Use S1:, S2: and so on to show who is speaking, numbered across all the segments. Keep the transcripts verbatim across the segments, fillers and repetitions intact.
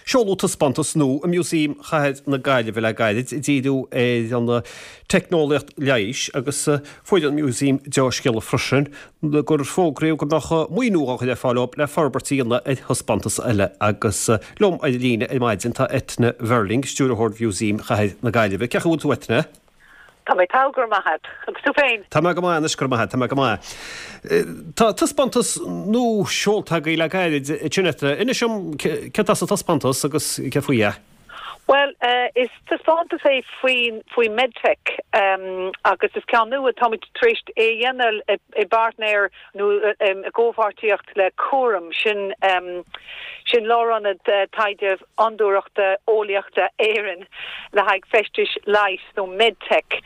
S1: Seoladh taispeántas nua i Músaem Chathair na Gaillimhe le gairid ag díriú ar an teicneolaíocht leighis agus fuair an Músaem dea-scéala freisin gur fógraíodh go mbeadh maoiniú á chur ar fáil le forbairt a dhéanamh ar thaispeántas eile agus liom ar líne ar maidin tá Eithne Verling, stiúrthóir Mhúsaem Chathair na Gaillimhe. Cén chaoi a bhfuil tú Eithne?
S2: Tá mé togha go maith agus tú féin.
S1: Tá mé go maith go maith tá mé go maith. Tá taispeántas nua seolta agaibh le gairid sin inis dom céard atá sa taispeántas agus céard faoi é.
S2: Well uh, is taispeántas é faoi faoi medtech um, agus is ceann nua tá tar éis é dhéanamh i bpáirtnéir nó um, i gcomhpháirtíocht le Cúram sin um, sin lárionad uh, taighde fhondúireachta eolaíochta Éireann le haghaidh feistis leighis nó medtech.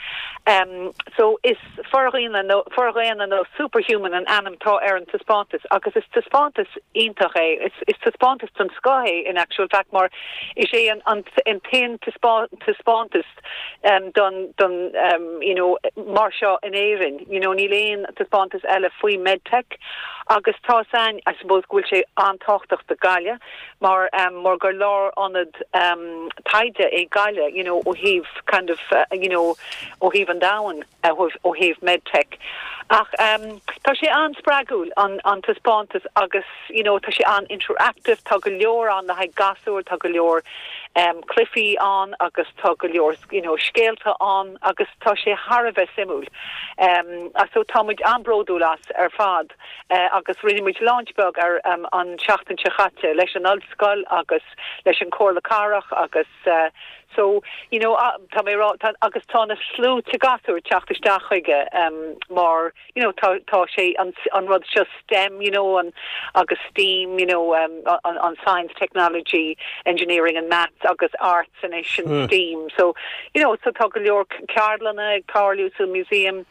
S2: Um, so is fordhaonna nó fordhaonna nó superhuman an ainm atá ar an taispeántas agus is taispeántas iontach é is, is taispeántas den scoth é in actual fact mar is é an, an, an t-aon taispeántas um, don don um, you know mar seo in Éirinn you know níl aon taispeántas eile faoi medtech agus tá san I suppose go bhfuil sé an-tábhachtach do Ghaillimh mar um, mar gur lárionad um, taighde é Gaillimh you know ó thaobh kind of uh, you know ó thaobh an domhain uh, ó thaobh medtech ach um, tá sé an-spreagúil an an taispeántas agus you know tá sé an-interactive tá go leor ann le haghaidh gasúir tá go leor um, cluichí ann agus tá go leor you know scéalta ann agus tá sé thar a bheith suimiúil um, so táimid an-bhródúil as ar fad uh, agus rinne muid launch beag ar um, an seachtain seo caite leis an ollscoil agus leis an Chomhairle Cathrach agus uh, so you know uh, tá mé tá agus tá na sluaite gasúr ag teacht isteach chuige um, mar you know tá tá sé an, an rud seo STEM you know an agus STEAM you know um, an, an science technology engineering and maths agus arts and mm. STEAM so you know so tá go leor ceardlanna ag tarlú sa museum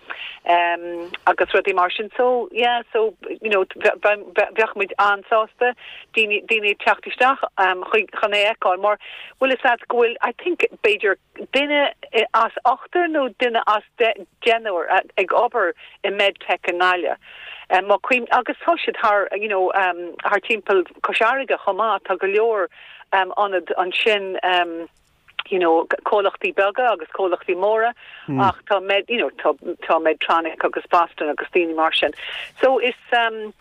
S2: um, agus rudaí mar sin so yeah so you know bheadh muid an-sásta daoine daoine teacht isteach um, chun é a fheiceáil mar bhfuil is go bhfuil I think b'fhéidir duine as ochtar nó duine as deichniúr ag obair i medtech i nGaillimh. Um, cuim agus tá siad thar you know um, thar timpeall Chois Fharraige chomh maith tá go leor um, ionad ansin um, you know comhlachtaí beaga agus comhlachtaí móra mm. ach tá med you know tá tá Medtronic agus Boston agus daoine mar sin so is um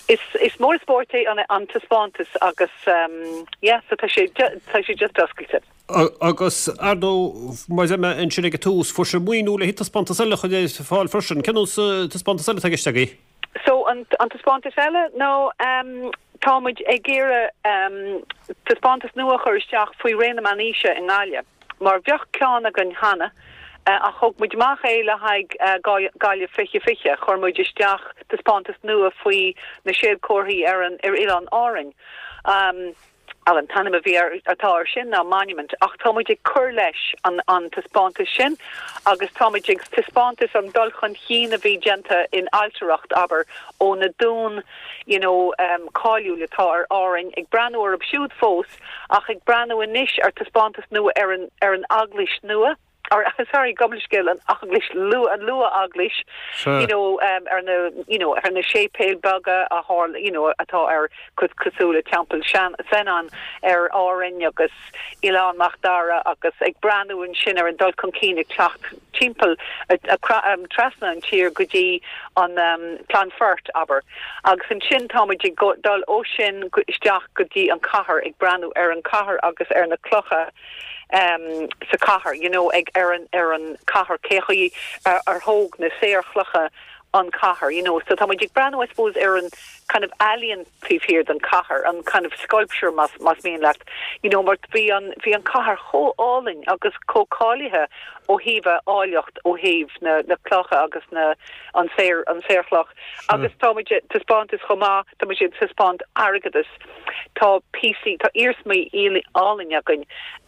S2: is is mór spórt é an an taispeántas agus um yeah so tá sé tá sé just oscailte
S1: agus ar ndóigh mar mé ansin ag tús fuair sibh maoiniú le taispeántas eile chun fáil freisin cén taispeántas eile atá i gceist agaibh
S2: So an an taispeántas eile no um táimid ag iarraidh um, taispeántas nua a chur isteach faoi ré na meánaoise i nGaillimh. Mar bheadh ceann againn cheana uh, a thug muid amach é le haghaidh uh, Gaillimh fiche fiche chuir muid isteach taispeántas nua faoi na séadchomharthaí ar an ar oileán Árainn. Um, an t-ainm a bhí atá ar sin ná monument ach táimid ag cur leis an an taispeántas sin agus táimid ag taispeántas an dul chun cinn a bhí déanta in ailtireacht abair ó na dúin you know um, cáiliúil atá ar Árainn ag breathnú orthu siúd fós ach ag breathnú anois ar taispeántas nua ar an ar an eaglais nua or sorry gabh mo leithscéal an eaglais lu an luath-eaglais you know um, ar na you know ar na séipéil beaga a tharla you know atá ar cosúil le Teampall Senan ar Árainn agus Oileán Mhic Dara agus ag breathnú ansin ar an dul chun cinn ag teacht timpeall um, trasna an tír go dtí an um, Clonfert abair agus ansin táimid ag dul ó sin isteach go dtí an cathair ag breathnú ar an cathair agus ar na clocha um, sa cathair you know ag ar an ar an cathair cé chaoi ar, ar thóg na saorchlocha an cathair you know so tá ag breathnú I suppose ar an kind of ealaín taobh thiar den cathair an kind of sculpture más más mian leat you know mar bhí an bhí an cathair chomh álainn agus chomh cáilithe ó thaobh áilleacht ó thaobh na na clocha agus na an saor an saorchloch agus tá taispeántas chomh maith tá sé taispeáint airgeadas tá píosaí tá iarsmaí álainn againn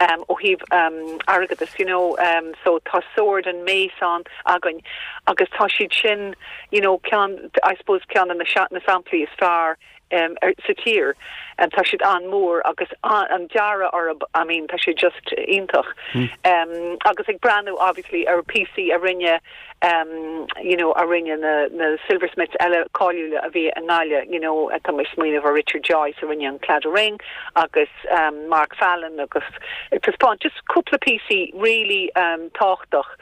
S2: um, ó thaobh um, airgeadas you know um, so tá sword and mace ann againn agus tá siad sin you know ceann I suppose ceann na na samplaí is fearr um, ar, sa tír and tá siad an-mhór agus an, an dearadh orthu I mean tá sé just iontach mm. um, agus ag breathnú obviously ar píosaí a rinne um, you know a rinne na, na silversmiths eile cáiliúla a bhí i nGaillimh you know tá mé ag smaoineamh ar Richard Joyce a rinne an Claddagh Ring agus um, Mark Fallon agus taispeáint just cúpla píosaí really um, tábhachtach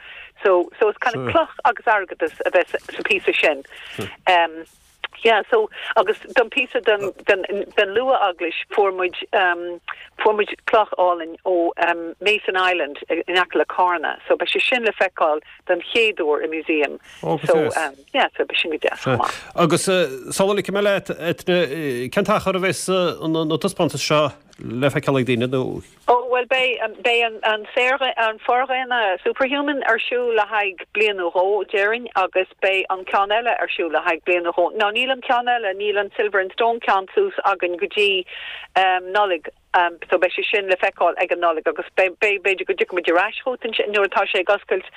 S2: so so it's kind of cloch agus airgeadas a bheith sa píosa sin um, Yeah, so agus don píosa den den den luath-eaglais fuair muid um, fuair muid cloch álainn ó um, Mason Island in aice le Carna, so beidh sé sin le feiceáil den chéad uair i museum.
S1: Oh,
S2: so um, yeah, so beidh sin go deas.
S1: Agus uh, sula ligfidh mé leat cén t-achar a bheas na taispeántais seo le feiceáil ag daoine nó
S2: Oh well beidh um, beidh an an saor an fordhaonna superhuman ar siúl le haghaidh bliain nó dhó déarfainn agus beidh an ceann eile ar siúl le haghaidh bliain nó dhó. Ná níl an ceann eile níl an silver and stone ceann suas againn go dtí um, Nollaig um, so beidh sé sin le feiceáil ag an Nollaig agus b'fhéidir go dtiocfaidh muid ar ais chugat nuair atá sé ag oscailt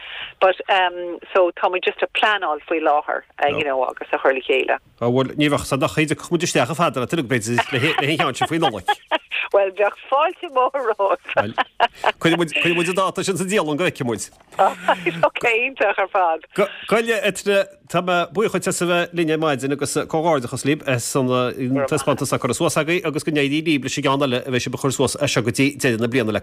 S2: but um, so tá muid just ag pleanáil faoi láthair uh, you know, agus a chur le chéile.
S1: bhfuil ní bheadh sa nach chéidir chumid isteach a fada tu b'fhéidir le cheann sin faoi Nollaig.
S2: Well bheadh fáilte mhór romhat.
S1: Cuirfidh muid dáta sin sa dialann go bhfeicfidh muid.
S2: Oké ar fad.
S1: Goile etre tá buíoch a bheith linn ar maidin agus comhghairdeachas libh as an taispeántas a chur suas agaibh agus go n-éirí libh leis an gceann eile a bheidh sibh ag cur suas as seo go dtí deireadh na bliana le